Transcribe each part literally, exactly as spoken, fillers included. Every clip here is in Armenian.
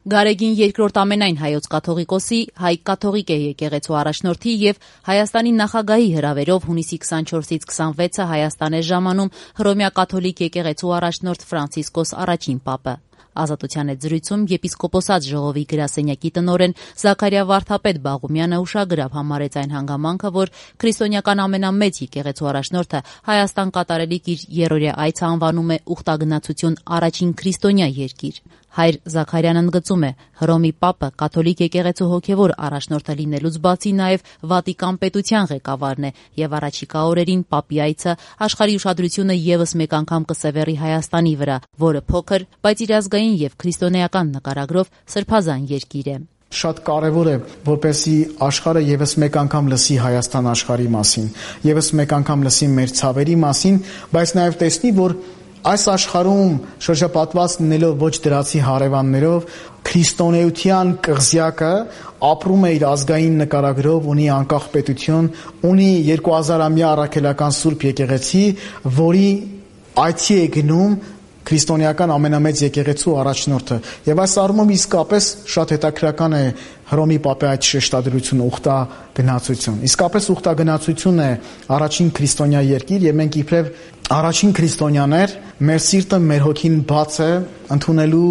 Գարեգին երկրորդ ամենայն հայոց կաթողիկոսի, հայ կաթողիկե եկեղեցու առաջնորդի եւ Հայաստանի նախագահի հրավերով հունիսի քսանչորսից քսանվեցը Հայաստան է ժամանում Հռոմեա կաթոլիկ եկեղեցու առաջնորդ Ֆրանցիսկոս առաջին պապը։ Ազատության հետ զրույցում եպիսկոպոսած ժողովի գրասենյակի տնօրեն Զաքարիա Վարդապետ Բաղումյանը ուշագրավ համարեց այն հանգամանքը, որ քրիստոնեական ամենամեծ եկեղեցու առաջնորդը Հայաստան կատարելիք իր երրորդյա այցը անվանում է ուխտագնացություն առաջին քրիստոնյա երկիր։ Հայր Զաքարյանն ընդգծում է, Հռոմի պապը կաթոլիկ եկեղեցու հոգևոր առաջնորդը լինելուց բացի նաև Վատիկան պետության ղեկավարն է եւ առաջիկա օրերին պապի այցը աշխարհի ուշադրությունը եւս մեկ անգամ կսևեռի Հայաստանի վրա, որը փոքր, բայց իր ազգային եւ քրիստոնեական նկարագրով սրբազան երկիր է։ Շատ կարևոր է, որպեսզի աշխարհը եւս մեկ անգամ լսի Հայաստան աշխարհի մասին, եւս մեկ անգամ լսի մեր ցավերի մասին, բայց նաեւ տեսնի, որ այս աշխարհում շրջապատված լինելով ոչ դրացի հարևաններով քրիստոնեության կղզյակը ապրում է իր ազգային նկարագրով, ունի անկախ պետություն, ունի երկու հազարամյա առաքելական սուրբ եկեղեցի, որի այցի է գնում քրիստոնեական ամենամեծ եկեղեցու առաջնորդը։ Եվ այս առումով իսկապես շատ հետաքրքրական է Հռոմի պապի այդ շեշտադրությունը ուխտագնացություն։ Իսկապես ուխտագնացությունն է առաջին քրիստոնյա երկիր եւ մենք իբրև առաջին քրիստոնյաներ մեր սիրտը, մեր հոգին բաց է ընդունելու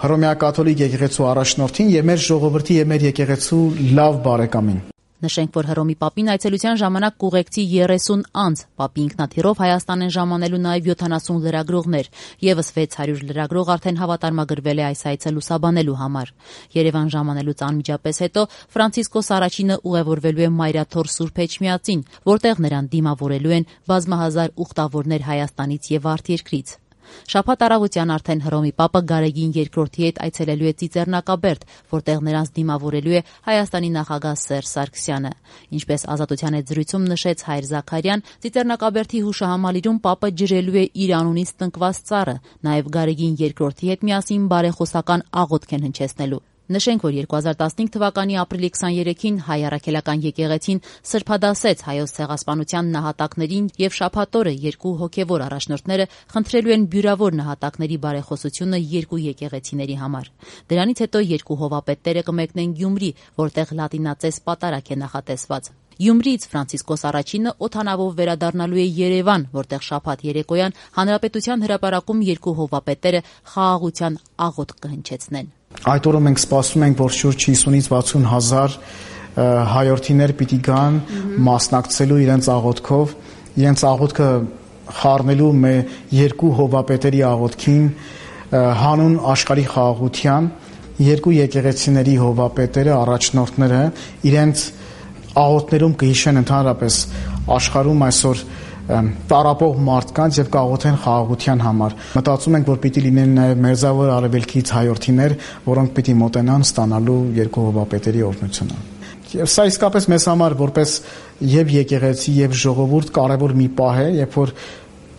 Հռոմեա կաթոլիկ եկեղեցու առաջնորդին եւ մեր ժողովրդի եւ մեր եկեղեցու լավ բարեկամին։ Նշենք, որ Հռոմի պապին այցելության ժամանակ կուղեկցի երեսուն անձ, պապի ինքնաթիռով Հայաստան են ժամանելու նաև յոթանասուն լրագրողներ, եւս վեց հարյուր լրագրող արդեն հավատարմագրվել է այս այցը լուսաբանելու համար։ Երևան ժամանելուց անմիջապես հետո Ֆրանցիսկոս առաջինը ուղևորվելու է Մայրաթոր Սուրբ Էջմիածին, որտեղ նրան դիմավորելու են բազմահազար ուխտավորներ Հայաստանից եւ արտերկրից։ Շաբաթ առավոտյան արդեն Հռոմի պապը Գարեգին երկրորդի հետ այցելելու է Ծիծեռնակաբերդ, որտեղ նրանց դիմավորելու է Հայաստանի նախագահ Սերժ Սարգսյանը։ Ինչպես Ազատության հետ զրույցում նշեց հայր Զաքարյան, Ծիծեռնակաբերդի հուշահամալիրում պապը ջրելու է իր անունից տնկված ծառը, նաև Գարեգին երկրորդի հետ միասին բարեխոսական աղոթք են հնչեցնելու։ Նշենք, որ երկու հազար տասնհինգ թվականի ապրիլի քսաներեքին հայ առաքելական եկեղեցին սրբադասեց հայոց ցեղասպանության նահատակներին եւ շաբաթ օրը երկու հոգեվոր առաջնորդները խնդրելու են բյուրավոր նահատակների բարեխոսությունը երկու եկեղեցիների համար։ Դրանից հետո երկու հովապետները կմեկնեն Գյումրի, որտեղ լատինացես պատարագ է նախատեսված։ Գյումրիից Ֆրանցիսկոս առաջինը օդանավով վերադառնալու է Երևան, որտեղ շաբաթ երեկոյան Հանրապետության հրապարակում երկու հովապետերը խաղաղության աղոթք կհնչեցնեն։ Այդ օրը մենք սպասում ենք, որ շուրջ հիսունից վաթսուն հազար հայորդիներ պիտի գան մասնակցելու իրենց աղոթքով, իրենց աղոթքը խառնելու մեր երկու հովապետերի աղոթքին, հանուն աշխարհի խաղաղության, երկու եկեղեցիների հովապետերը, առաջնորդները իրենց աղոթներում կհիշեն ընդհանրապես աշխարհում այսօր տարապող մարդկանց եւ կաղոթեն խաղաղության համար։ Մտածում ենք, որ պիտի լինեն նաեւ մերձավոր արևելքից հայորդիներ, որոնք պիտի մոտենան ստանալու երկու հովապետերի օրհնությունը։ Եվ սա իսկապես մեզ համար որպես եւ եկեղեցի եւ ժողովուրդ կարեւոր մի պահ է, երբ որ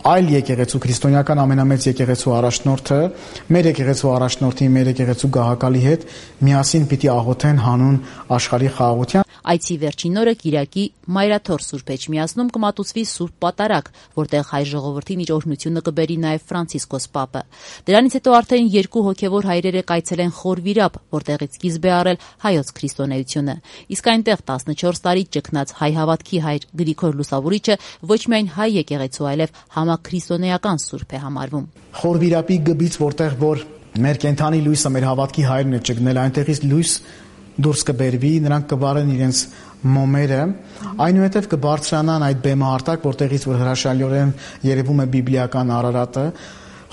այլ եկեղեցու քրիստոնեական ամենամեծ եկեղեցու առաջնորդը մեր եկեղեցու առաջնորդի, մեր եկեղեցու գահակալի հետ միասին պիտի աղոթեն հանուն աշխարհի խաղաղության։ Այցի վերջին օրը Կիրակի Մայրաթոր Սուրբ Էջմիածնում կմատուցվի Սուրբ Պատարագ, որտեղ հայ ժողովրդին իր օրհնությունը կբերի նաև Ֆրանցիսկոս պապը։ Դրանից հետո արդեն երկու հոգևոր հայրերը կայցելեն Խորվիրապ, որտեղից սկիզբ է առել հայոց քրիստոնեությունը։ Իսկ այնտեղ տասնչորս տարի ճգնած հայ հավատքի հայր Գրիգոր Լուսավորիչը ոչ միայն հայ եկեղեցու, այլև համաքրիստոնեական սուրբ է համարվում։ Խորվիրապի գբից, որտեղ որ մեր կենթանի լույսը, մեր հավատքի հայրն է ճգնել, այնտեղից լույս դուրս կբերվի, նրանք կվարեն իրենց մոմերը, այնուհետև կբարձրանան այդ բեմահարտակ, որտեղից որ հրաշալիորեն երևում է բիբլիական Արարատը,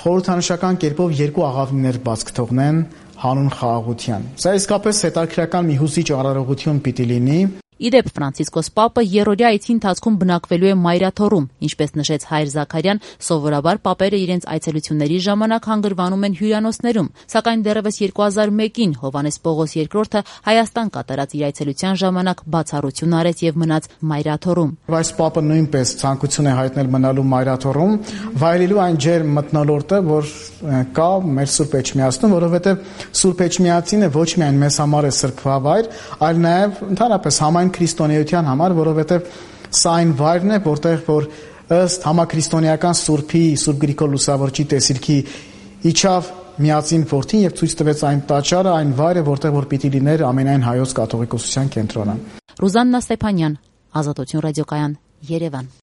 խորհրդանշական կերպով երկու աղավնիներ բաց կթողնեն հանուն խաղաղության։ Սա իսկապես հետաքրքրական մի հուզիչ արարողություն պիտի լինի։ Իդեպ Ֆրանցիսկոս պապը երրորդյա այցի ընթացքում բնակվելու է Մայրաթորում, ինչպես նշեց հայր Զաքարյան, սովորաբար պապերը իրենց այցելությունների ժամանակ հանգրվանում են հյուրանոցներում, սակայն դեռևս երկու հազար մեկին Հովհաննես Պողոս երկրորդը Հայաստան կատարած իր այցելության ժամանակ բացառություն արեց եւ մնաց Մայրաթորում։ Այս պապը նույնպես ցանկություն է հայտնել մնալու Մայրաթորում, վայելելու այն ջերմ մթնոլորտը, որ կա մեր Սուրբ Էջմիածնում, որովհետեւ Սուրբ Էջմիածինը ոչ միայն մեզ համար է սրբավայր, այլ նաեւ ընդհանրապես համայն քրիստոնեության համար, որովհետև սա այն վայրն է, որտեղ որ ըստ համաքրիստոնեական Սուրբի, Սուրբ Գրիգոր Լուսավորչի տեսիլքի իջավ միածին որդին եւ ցույց տվեց այն տաճարը, այն վայրը, որտեղ որ պիտի լիներ ամենայն հայոց կաթողիկոսության կենտրոնը։ Ռուզաննա Ստեփանյան, Ազատություն ռադիոկայան, Երևան։